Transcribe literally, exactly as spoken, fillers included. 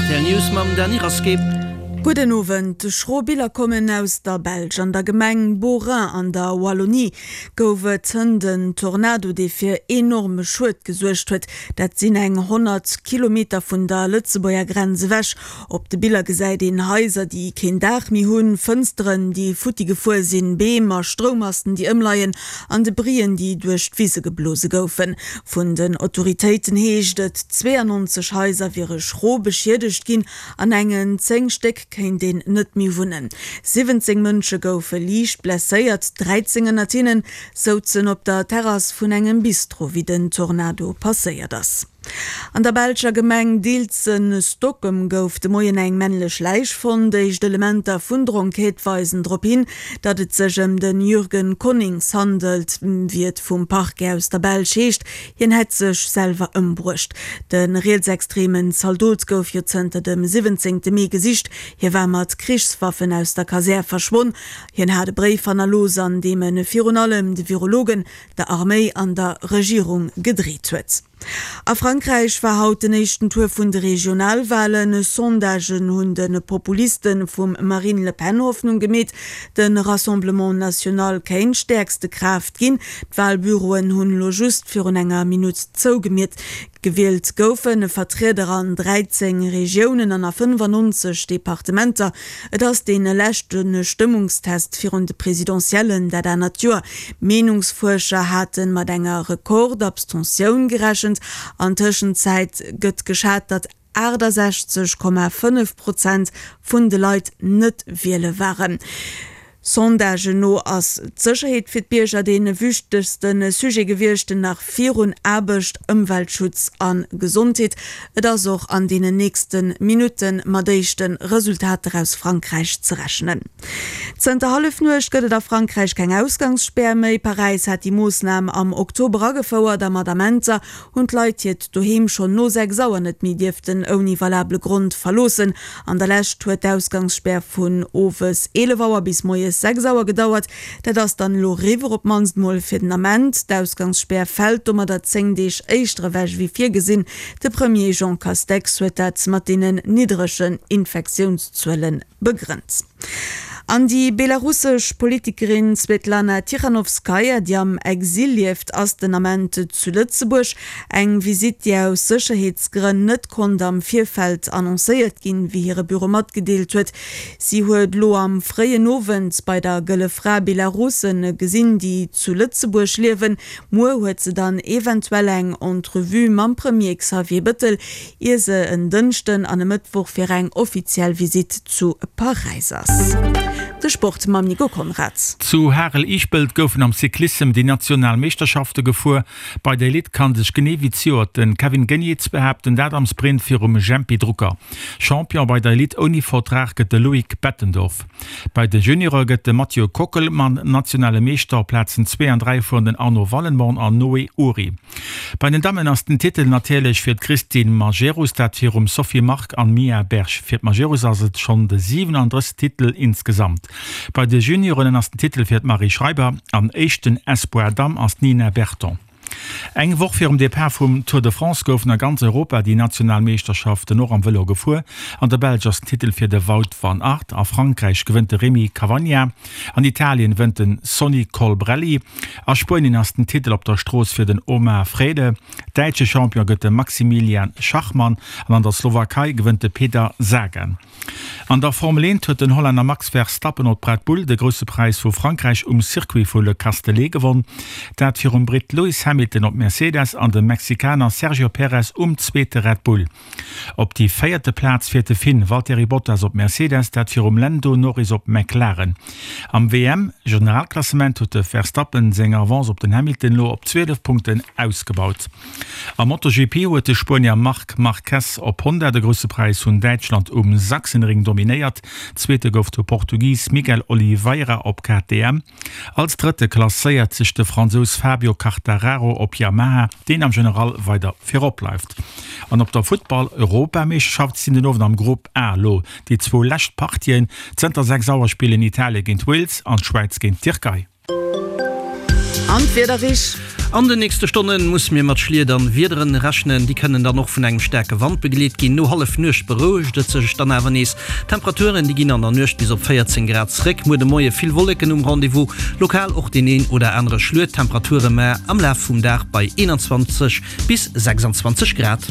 R T L News mam Dany Rasqué. Gudden Owend. Schro Biller kommen aus der Belsch. An der Gemeng Beauraing an der Wallonie gouf et hënt en Tornado, dee fir enorme Schued gesuergt huet. Dat sinn eng honnert Kilometer vun der Lëtzebuerger Grenz ewech. Op de Biller gesäit een Haiser, déi keen Daach méi hunn, Fënsteren, déi futti gefuer sinn, Beem a Stroummasten, déi ëmleien, an Debrien, déi duerch d'Wise geblose goufen. Vun den Autoritéiten heescht et, zweeanonzeg Haiser wiere schro beschiedegt ginn, an engen zéng Stéck kéint een net méi wunnen. Siwwenzéng Mënsche goufe liicht blesséiert, dräizéng ënnert hinne souzen op der Terrass vun engem Bistro, wéi den Tornado passéiert ass. An der belscher Gemeng Dilzen-Stokkem gouf de Moien eng männlech Läich fonnt. Éischt Elementer vun der Enquête weisen drop hin, datt et sech ëm de Jürgen Conings handelt, wéi et vum Parquet aus der Belsch heescht. Hien hätt sech selwer ëmbruecht. De rietsextremen Zaldot gouf jo zënter dem siwwenzéngte Mee gesicht. Hie war mat Krichswaffen aus der Kasär verschwonn. Hien hat e Bréif hannerlooss, an deem e virun allem de Virologen, der Arméi an der Regierung gedreet huet. A Frankräich war haut den éischten Tour vun de Regionalwalen. Sondagen hunn de Populiste vum Marine Le Pen Hoffnung gemeet, de Rassemblement National kéint stäerkste Kraaft ginn. D'Walbüroen hunn elo just virun enger Minutt zougemiet. Gewielt goufe Vertrieder an dräizéng Regiounen an a fënnefannonzeg Departementer. Et ass dee leschte Stëmmungstest virun de Presidentiellen dat anert Joer. Meenungsfuerscher hate mat enger Rekord-Abstentioun gerechent. An Tëschenzäit gëtt geschat, datt aachtasechzeg Komma fënnef Prozent vun de Leit net wiele waren. Sondagen no ass d'Sécherheet fir d'Bierger dee wichtegste Sujet gewiescht, nach virun Aarbecht, Ëmweltschutz a Gesondheet. Et ass och an deenen nächste Minutte mat éischte Resultater aus Frankräich ze rechnen. Zënter Hallefnuecht gëtt et a Frankräich keng Ausgangsspär méi. Paräis hat déi Moossnam am Oktober agefouert a mat Amenter hunn d'Leit hiert Doheem schonn no sechs Auer net méi dierften ouni valabele Grond verloossen. An der Lescht huet d'Ausgangsspär vun owes eelef Auer bis moies sechs Auer gedauert. Dat ass dann elo eriwwer, op d'mannst mol fir den Ament. D'Ausgangsspär fält domadder zéng Deeg éischter ewech wéi virgesinn. De Premier Jean Castex huet dat mat deenen niddregen Infektiounszuele begrënnt. An déi belarussesch Politikerin Svetlana Tichanovskaja, déi am Exil lieft, ass den Ament zu Lëtzebuerg. Eng Visitt, déi aus Sécherheetsgrënn net konnt am Virfeld annoncéiert ginn, wéi hire Büro matgedeelt huet. Si huet elo am fréien Owend bei der Gëlle Fra Belarusse gesinn, déi zu Lëtzebuerg liewen. Muer huet se dann eventuell eng Entrevue mam Premier Xavier Bëttel, ier se en Dënschden an e Mëttwoch fir eng offiziell Visitt zu Paräis ass. De Sport mam Nico Conrad. Zu Harel-Ischpelt goufen am Cyclissem déi national Meeschterschafte gefuer. Bei der Elite kann sech genee wéi zejoert de Kevin Geniets behaapten, dat am Sprint virum Jempy Drucker. Champion bei der Elite ouni Vertrag gëtt de Loïc Bettendorf. Bei de Juniore gëtt de Mathieu Kockelmann nationale Meeschter. Op Plazen zwee an dräi fueren den Arno Wallenborn an Noé Ury. Bei den Dammen ass den Titel natierlech fir d'Christine Majerus, dat virum Sophie Mark an Mia Berg. Fir d'Majerus ass et schonn de siwenandrëssegsten Titel insgesamt. Bei de Junioren ass den Titel fir d'Marie Schreiber an éischten Espoir Damm ass d'Nina Berton. Eng Woch virum Depart vum Tour de France goufen a ganz Europa déi national Meeschterschaften och am Vëlo gefuer. An der Belsch ass den Titel fir de Wout van Aert, a Frankräich gewënnt de Rémi Cavagna, an Italien wënnt de Sonny Colbrelli, a Spuenien ass den Titel op der Strooss fir den Omar Fraile, däitsche Champion gëtt de Maximilian Schachmann an an der Slowakei gewënnt de Peter Sagan. An der Formel eent huet den Hollänner Max Verstappen op Red Bull de Grousse Präis vu Frankräich um Circuit vu Le Castellet gewonn. Dat virum Britt Lewis Hamilton op Mercedes an dem Mexikaner Sergio Perez um zweete Red Bull. Op déi véierte Plaz fiert de Finn Valtteri Bottas op Mercedes, dat virum Lando Norris op McLaren. Am W M-Generalklassement huet de Verstappen seng Avance op den Hamilton elo op zwielef Punkten ausgebaut. Am MotoGP huet de Spuenier Marc Marquez op Honda de Grousse Präis vun Däitschland um Sachsenring dominéiert. Zweete gouf de Portugis Miguel Oliveira op K T M. Als Drëtte klasséiert sech de Fransous Fabio Quartararo op Yamaha, deen am General weider virop bleift. An op der Futtball-Europameeschterschaft sinn den Owend am Grupp A elo déi zwou lescht Partien. Zënter sechs Auer spillen Italie géint Wales an d'Schwäiz géint d'Tierkei. An d'Wieder, Rich? An den nächste Stonne musse mir mat Schliet an Wiederen rechnen, déi kënnen dann och vun engem staarke Wand begleet ginn. No Hallefnuecht berouegt et sech dann awer nees. D'Temperaturen, déi ginn an der Nuecht bis op véierzéng Grad zréck. Muer de Moie vill Wolleken um Rendez-vous, lokal och deen een oder anere Schluet. D'Temperature mar am Laf vum Dag bei eenanzwanzeg bis sechsanzwanzeg Grad.